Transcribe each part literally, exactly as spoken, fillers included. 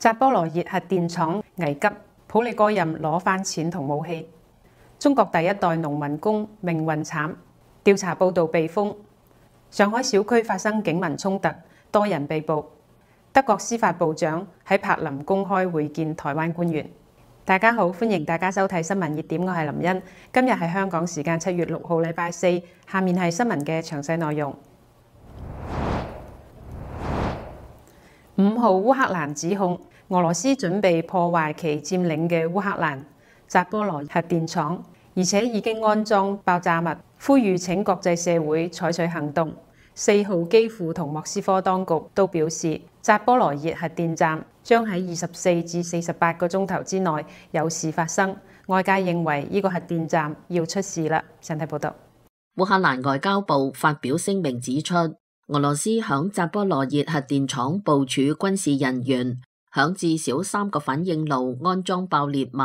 扎波羅熱核電廠危急，普里戈任攞返錢同武器。中國第一代農民工命運慘，調查報導被封。上海小區發生警民衝突，多人被捕。德國司法部長喺柏林公開會見台灣官員。大家好，歡迎大家收睇新聞熱點，我係林茵。今日係香港時間七月六號禮拜四，下面係新聞嘅詳細內容。五號烏克蘭指控俄羅斯準備破壞其佔領嘅烏克蘭扎波羅核電廠，而且已經安裝爆炸物，呼籲請國際社會採取行動。四號基輔同莫斯科當局都表示，扎波羅熱核電站將喺二十四至四十八個鐘頭之內有事發生。外界認為呢個核電站要出事啦。請睇報道。烏克蘭外交部發表聲明指出，俄羅斯響扎波羅熱核電廠部署軍事人員，響至少三個反應爐安裝爆裂物，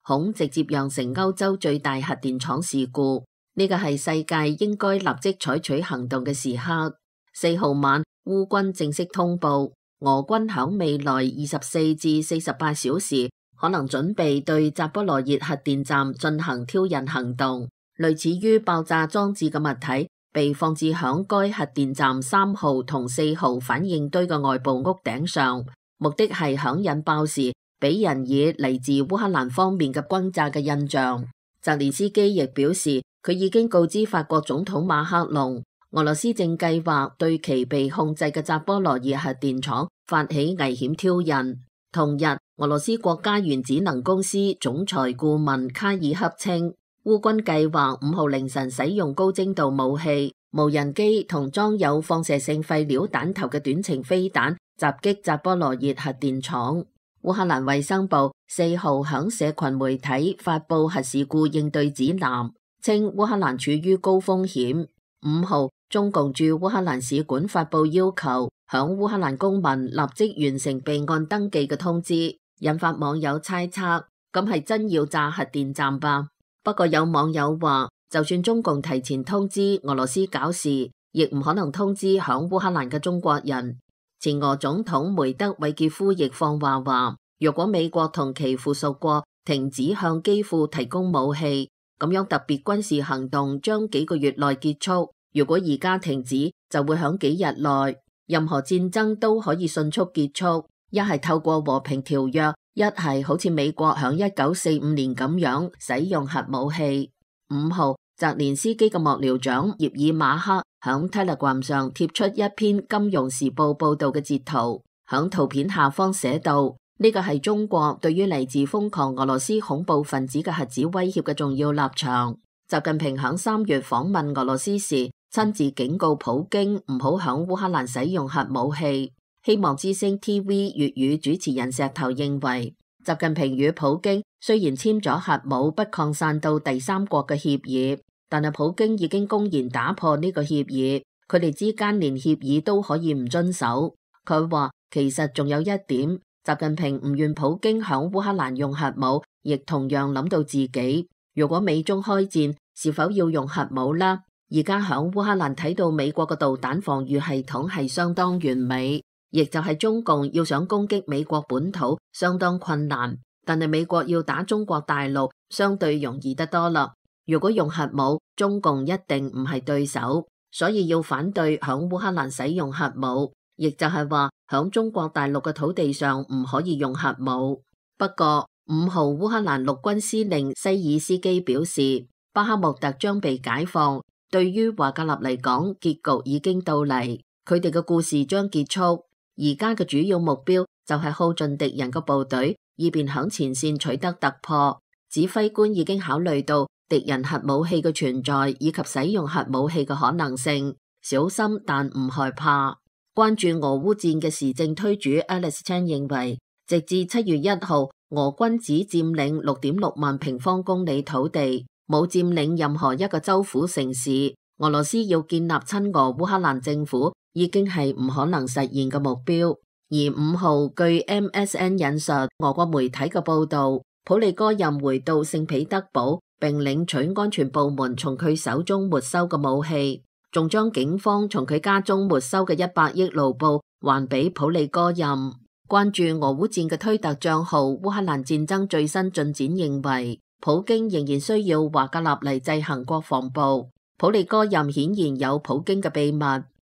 恐直接釀成歐洲最大核電廠事故。呢個係世界應該立即採取行動嘅時刻。四號晚，烏軍正式通報，俄軍響未來二十四至四十八小時可能準備對扎波羅熱核電站進行挑釁行動，類似於爆炸裝置嘅物體被放置響該核電站三號同四號反應堆嘅外部屋頂上，目的係響引爆時俾人以嚟自烏克蘭方面嘅轟炸嘅印象。澤連斯基亦表示，佢已經告知法國總統馬克龍，俄羅斯正計劃對其被控制嘅扎波羅熱核電廠發起危險挑釁。同日，俄羅斯國家原子能公司總裁顧問卡爾克稱，烏軍計劃五號凌晨使用高精度武器、無人機同裝有放射性廢料彈頭嘅短程飛彈襲擊扎波羅熱核電廠。烏克蘭衛生部四號響社群媒體發佈核事故應對指南，稱烏克蘭處於高風險。五號，中共駐烏克蘭使館發佈要求響烏克蘭公民立即完成備案登記嘅通知，引發網友猜測，咁係真要炸核電站吧？不過有網友話，就算中共提前通知俄羅斯搞事，亦唔可能通知響烏克蘭嘅中國人。前俄總統梅德韋傑夫亦放話話，若果美國同其附屬國停止向基輔提供武器，咁樣特別軍事行動將幾個月內結束。如果而家停止，就會響幾日內，任何戰爭都可以迅速結束。一係透過和平條約，一係好似美國響一九四五年咁樣使用核武器。五號，澤連斯基嘅幕僚長葉爾馬克響 Telegram 上貼出一篇《金融時報》報道嘅截圖，響圖片下方寫道：呢個係中國對於嚟自瘋狂俄羅斯恐怖分子嘅核子威脅嘅重要立場。習近平響三月訪問俄羅斯時，親自警告普京唔好響烏克蘭使用核武器。希望之聲 T V 粵語主持人石頭認為，習近平與普京雖然簽咗核武不擴散到第三國嘅協議，但係普京已經公然打破呢個協議，佢哋之間連協議都可以唔遵守。佢話其實仲有一點，習近平唔願普京響烏克蘭用核武，亦同樣諗到自己，如果美中開戰，是否要用核武呢？而家響烏克蘭睇到美國嘅導彈防禦系統係相當完美，亦就係中共要想攻擊美國本土相當困難，但係美國要打中國大陸相對容易得多啦。如果用核武，中共一定唔係對手，所以要反對響烏克蘭使用核武，亦就係話響中國大陸嘅土地上唔可以用核武。不過五號烏克蘭陸軍司令西爾斯基表示，巴克穆特將被解放，對於華格納嚟講，結局已經到嚟，佢哋嘅故事將結束。而家嘅主要目標就係耗盡敵人嘅部隊，以便響前線取得突破。指揮官已經考慮到敵人核武器嘅存在以及使用核武器嘅可能性，小心但唔害怕。關注俄烏戰嘅時政推主 Alex Chan 認為，直至七月一號，俄軍只佔領六點六萬平方公里土地，冇佔領任何一個州府城市。俄羅斯要建立親俄烏克蘭政府，已經係唔可能實現嘅目標。而五號據 M S N 引述俄國媒體嘅報道，普里戈任回到聖彼得堡，並領取安全部門從佢手中沒收嘅武器，仲將警方從佢家中沒收嘅一百億盧布還俾普里戈任。關注俄烏戰嘅推特賬號烏克蘭戰爭最新進展認為，普京仍然需要華格納嚟制衡國防部。普利戈任顯然有普京嘅秘密，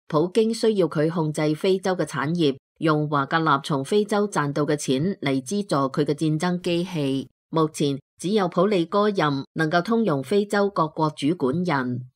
普京需要佢控制非洲嘅產業，用華格納從非洲賺到嘅錢嚟資助佢嘅戰爭機器。目前只有普利戈任能夠通用非洲各國主管人。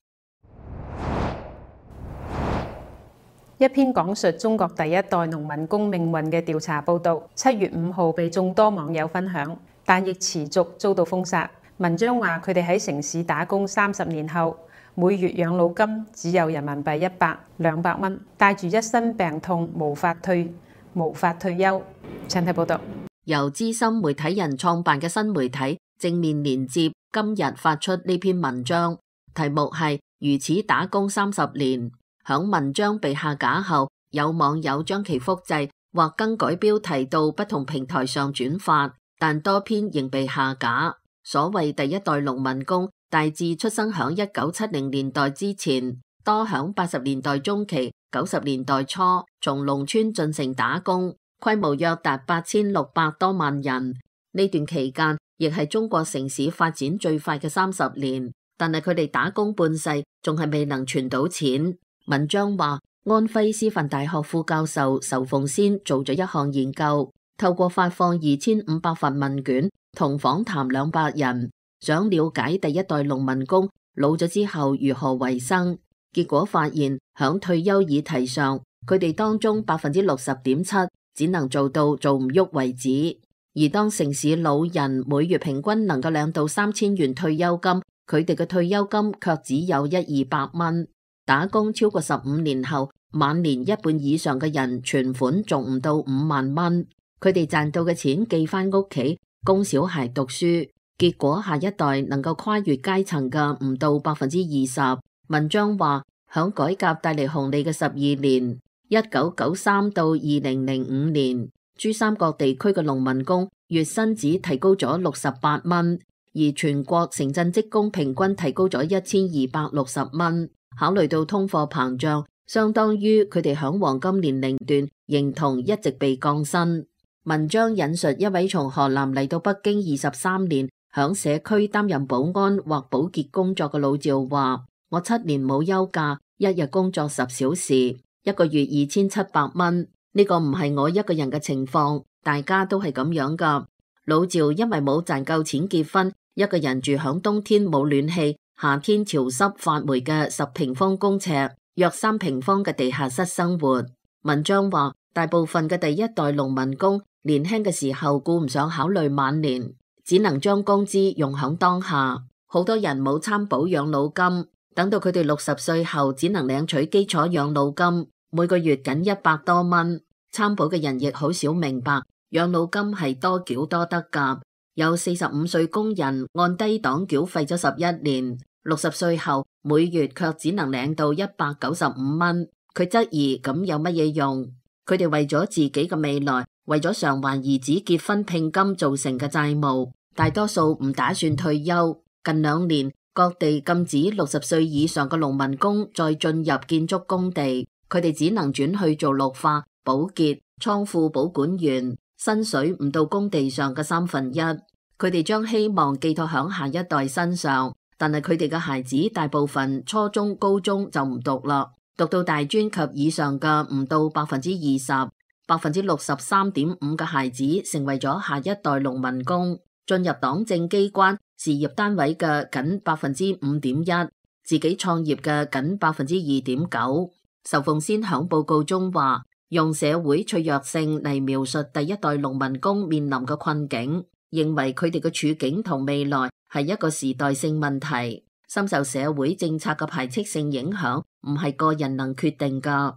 一篇講述中國第一代農民工命運嘅調查報導，七月五號被眾多網友分享，但亦持續遭到封殺。文章話佢哋喺城市打工三十年後，每月養老金只有人民幣一百、兩百蚊，帶住一身病痛，無法退無法退休。請睇報導。由資深媒體人創辦嘅新媒體正面連接今日發出呢篇文章，題目係如此打工三十年。響文章被下架後，有網友將其複製或更改標題到不同平台上轉發，但多篇仍被下架。所謂第一代農民工大致出生響一九七零年代之前，多響八十年代中期、九十年代初從農村進城打工，規模約達八千六百多萬人。呢段期間亦係中國城市發展最快嘅三十年，但係佢哋打工半世，仲係未能存到錢。文章話，安徽師範大學副教授仇鳳仙做咗一項研究，透過發放二千五百份問卷同訪談兩百人，想了解第一代農民工老咗之後如何維生。結果發現，響退休議題上，佢哋當中百分之六十點七只能做到做唔喐為止。而當城市老人每月平均能夠領到三千元退休金，佢哋嘅退休金卻只有一二百蚊。打工超過十五年後，晚年一半以上嘅人存款仲唔到五萬蚊，佢哋賺到嘅錢寄翻屋企供小孩讀書，結果下一代能夠跨越階層嘅唔到百分之二十。文章話，響改革帶嚟紅利嘅十二年，一九九三到二零零五年，珠三角地區嘅農民工月薪只提高咗六十八蚊，而全國城鎮職工平均提高咗一千二百六十蚊。考慮到通貨膨脹，相當於佢哋響黃金年齡段認同一直被降薪。文章引述一位從河南嚟到北京二十三年，響社區擔任保安或保潔工作嘅老趙話，我七年冇休假，一日工作十小時，一個月二千七百蚊。呢個唔係我一個人嘅情況，大家都係咁樣噶。老趙因為冇賺夠錢結婚，一個人住響冬天冇暖氣，夏天潮濕發霉嘅十平方公尺、約三平方嘅地下室生活。文章話，大部分嘅第一代農民工年輕嘅時候顧唔上考慮晚年，只能將工資用響當下。好多人冇參保養老金，等到佢哋六十歲後，只能領取基礎養老金，每個月僅一百多蚊。參保嘅人亦好少明白，養老金係多繳多得㗎。有四十五歲工人按低檔繳費咗十一年。六十歲後每月卻只能領到一百九十五蚊，佢質疑咁有乜嘢用？佢哋為咗自己嘅未來，為咗償還兒子結婚聘金造成嘅債務，大多數唔打算退休。近兩年，各地禁止六十歲以上嘅農民工再進入建築工地，佢哋只能轉去做綠化、保潔、倉庫保管員，薪水唔到工地上嘅三分一。佢哋將希望寄託響下一代身上。但係佢哋嘅孩子大部分初中、高中就唔讀啦，讀到大專及以上嘅唔到百分之二十，百分之六十三點五嘅孩子成為咗下一代農民工，進入黨政機關、事業單位嘅僅百分之五點一，自己創業嘅僅百分之二點九。仇鳳仙響報告中話，用社會脆弱性嚟描述第一代農民工面臨嘅困境，認為佢哋嘅處境同未來係一個時代性問題，深受社會政策嘅排斥性影響，唔係個人能決定㗎。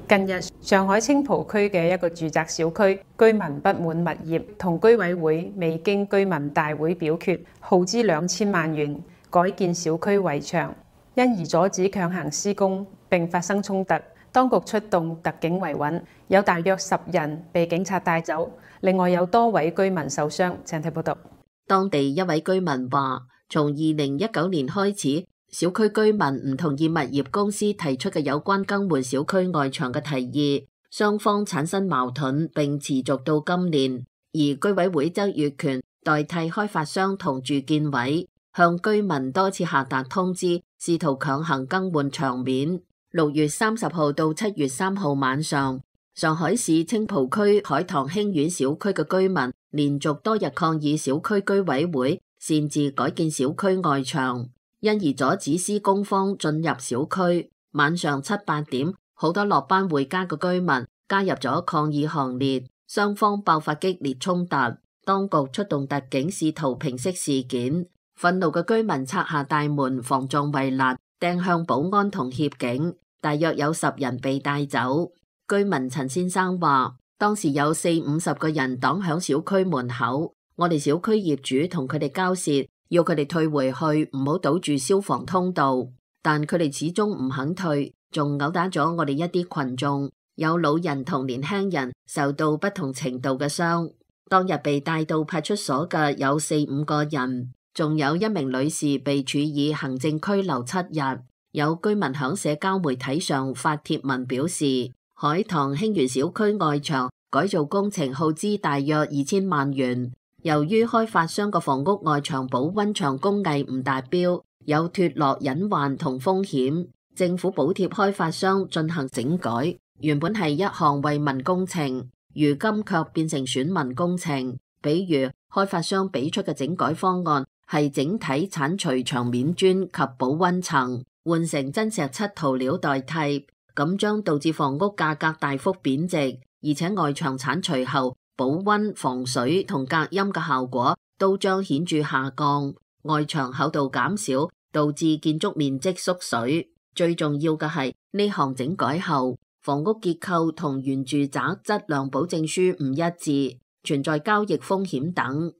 近日，上海青浦區嘅一個住宅小區，居民不滿物業同居委會未經居民大會表決，耗資兩千萬元改建小區圍牆，因而阻止強行施工並發生衝突。當局出動特警維穩，有大約十人被警察帶走，另外有多位居民受傷。請睇報道。當地一位居民話，從二零一九年開始，小區居民唔同意物業公司提出嘅有關更換小區外牆嘅提議，雙方產生矛盾並持續到今年。而居委會則越權代替開發商同住建委，向居民多次下達通知，試圖強行更換牆面。六月三十號到七月三號晚上，上海市青浦區海棠興苑小區嘅居民連續多日抗議小區居委會擅自改建小區外牆，因而阻止施工方進入小區。晚上七八點，好多落班回家嘅居民加入咗抗議行列，雙方爆發激烈衝突。當局出動特警試圖平息事件，憤怒嘅居民拆下大門防撞圍欄，掟向保安同協警，大約有十人被帶走。居民陳先生話，當時有四五十個人擋響小區門口，我哋小區業主同佢哋交涉，要佢哋退回去，唔好堵住消防通道，但佢哋始終唔肯退，仲毆打咗我哋一啲群眾，有老人同年輕人受到不同程度嘅傷。當日被帶到派出所嘅有四五個人，仲有一名女士被處以行政拘留七日。有居民響社交媒體上發帖文表示，海棠興園小區外牆改造工程耗資大約二千萬元，由於開發商嘅房屋外牆保溫牆工藝唔達標，有脫落隱患同風險，政府補貼開發商進行整改，原本係一項惠民工程，如今卻變成損民工程。比如開發商俾出嘅整改方案係整體剷除牆面磚及保溫層，換成真石漆塗料代替，咁將導致房屋價格大幅貶值，而且外牆剷除後保溫、防水同隔音嘅效果都將顯著下降，外牆厚度減少，導致建築面積縮水。最重要嘅係呢項整改後，房屋結構同原住宅質量保證書唔一致，存在交易風險等。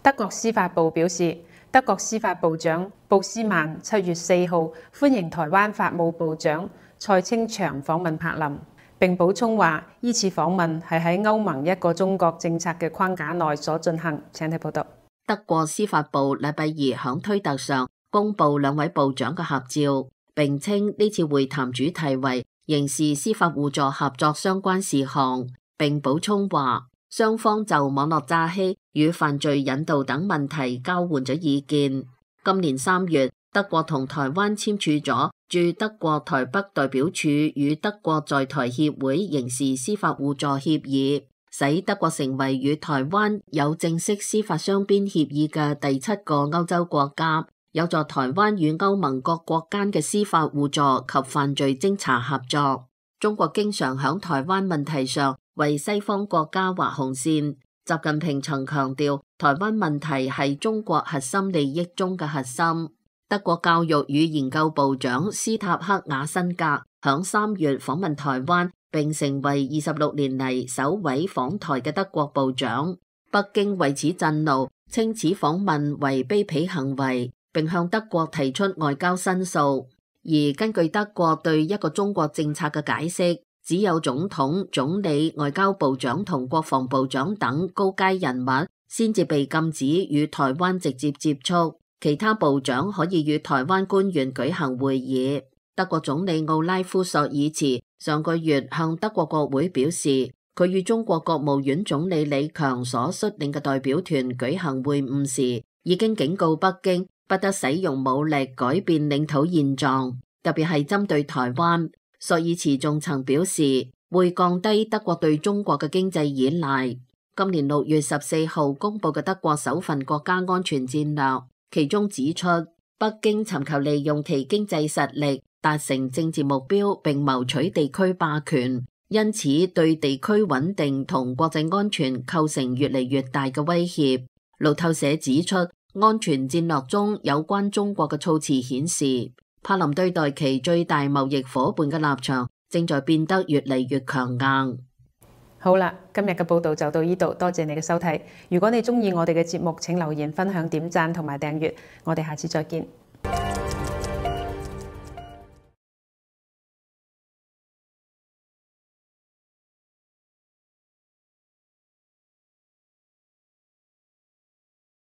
德國司法部表示，德國司法部長布斯曼七月四號歡迎台灣法務部長蔡清祥訪問柏林，並補充話，依次訪問係喺歐盟一個中國政策嘅框架內所進行。請睇報道。德國司法部禮拜二響推特上公布兩位部長嘅合照，並稱呢次會談主題為刑事司法互助合作相關事項，並補充話，雙方就網絡詐欺與犯罪引導等問題交換咗意見。今年三月，德國同台灣簽署咗駐德國台北代表處與德國在台協會刑事司法互助協議，使德國成為與台灣有正式司法雙邊協議嘅第七個歐洲國家，有助台灣與歐盟各國間嘅司法互助及犯罪偵查合作。中國經常響台灣問題上為西方國家畫紅線。習近平曾強調，台灣問題係中國核心利益中嘅核心。德國教育與研究部長斯塔克瓦辛格響三月訪問台灣，並成為二十六年嚟首位訪台嘅德國部長。北京為此震怒，稱此訪問為卑鄙行為，並向德國提出外交申訴。而根據德國對一個中國政策嘅解釋，只有總統、總理、外交部長同國防部長等高階人物先至被禁止與台灣直接接觸，其他部長可以與台灣官員舉行會議。德國總理奧拉夫索爾茨上個月向德國國會表示，佢與中國國務院總理李強所率領嘅代表團舉行會晤時，已經警告北京不得使用武力改變領土現狀，特別係針對台灣。索爾茨仲曾表示會降低德國對中國嘅經濟依賴。今年六月十四號公布嘅德國首份國家安全戰略，其中指出北京尋求利用其經濟實力達成政治目標，並謀取地區霸權，因此對地區穩定同國際安全構成越嚟越大嘅威脅。路透社指出，安全戰略中有關中國嘅措辭顯示，柏林對待其最大貿易夥伴嘅立場正在變得越嚟越強硬。好啦，今日嘅報道就到呢度，多謝你嘅收睇。如果你鍾意我哋嘅節目，請留言、分享、點讚同埋訂閱。我哋下次再見。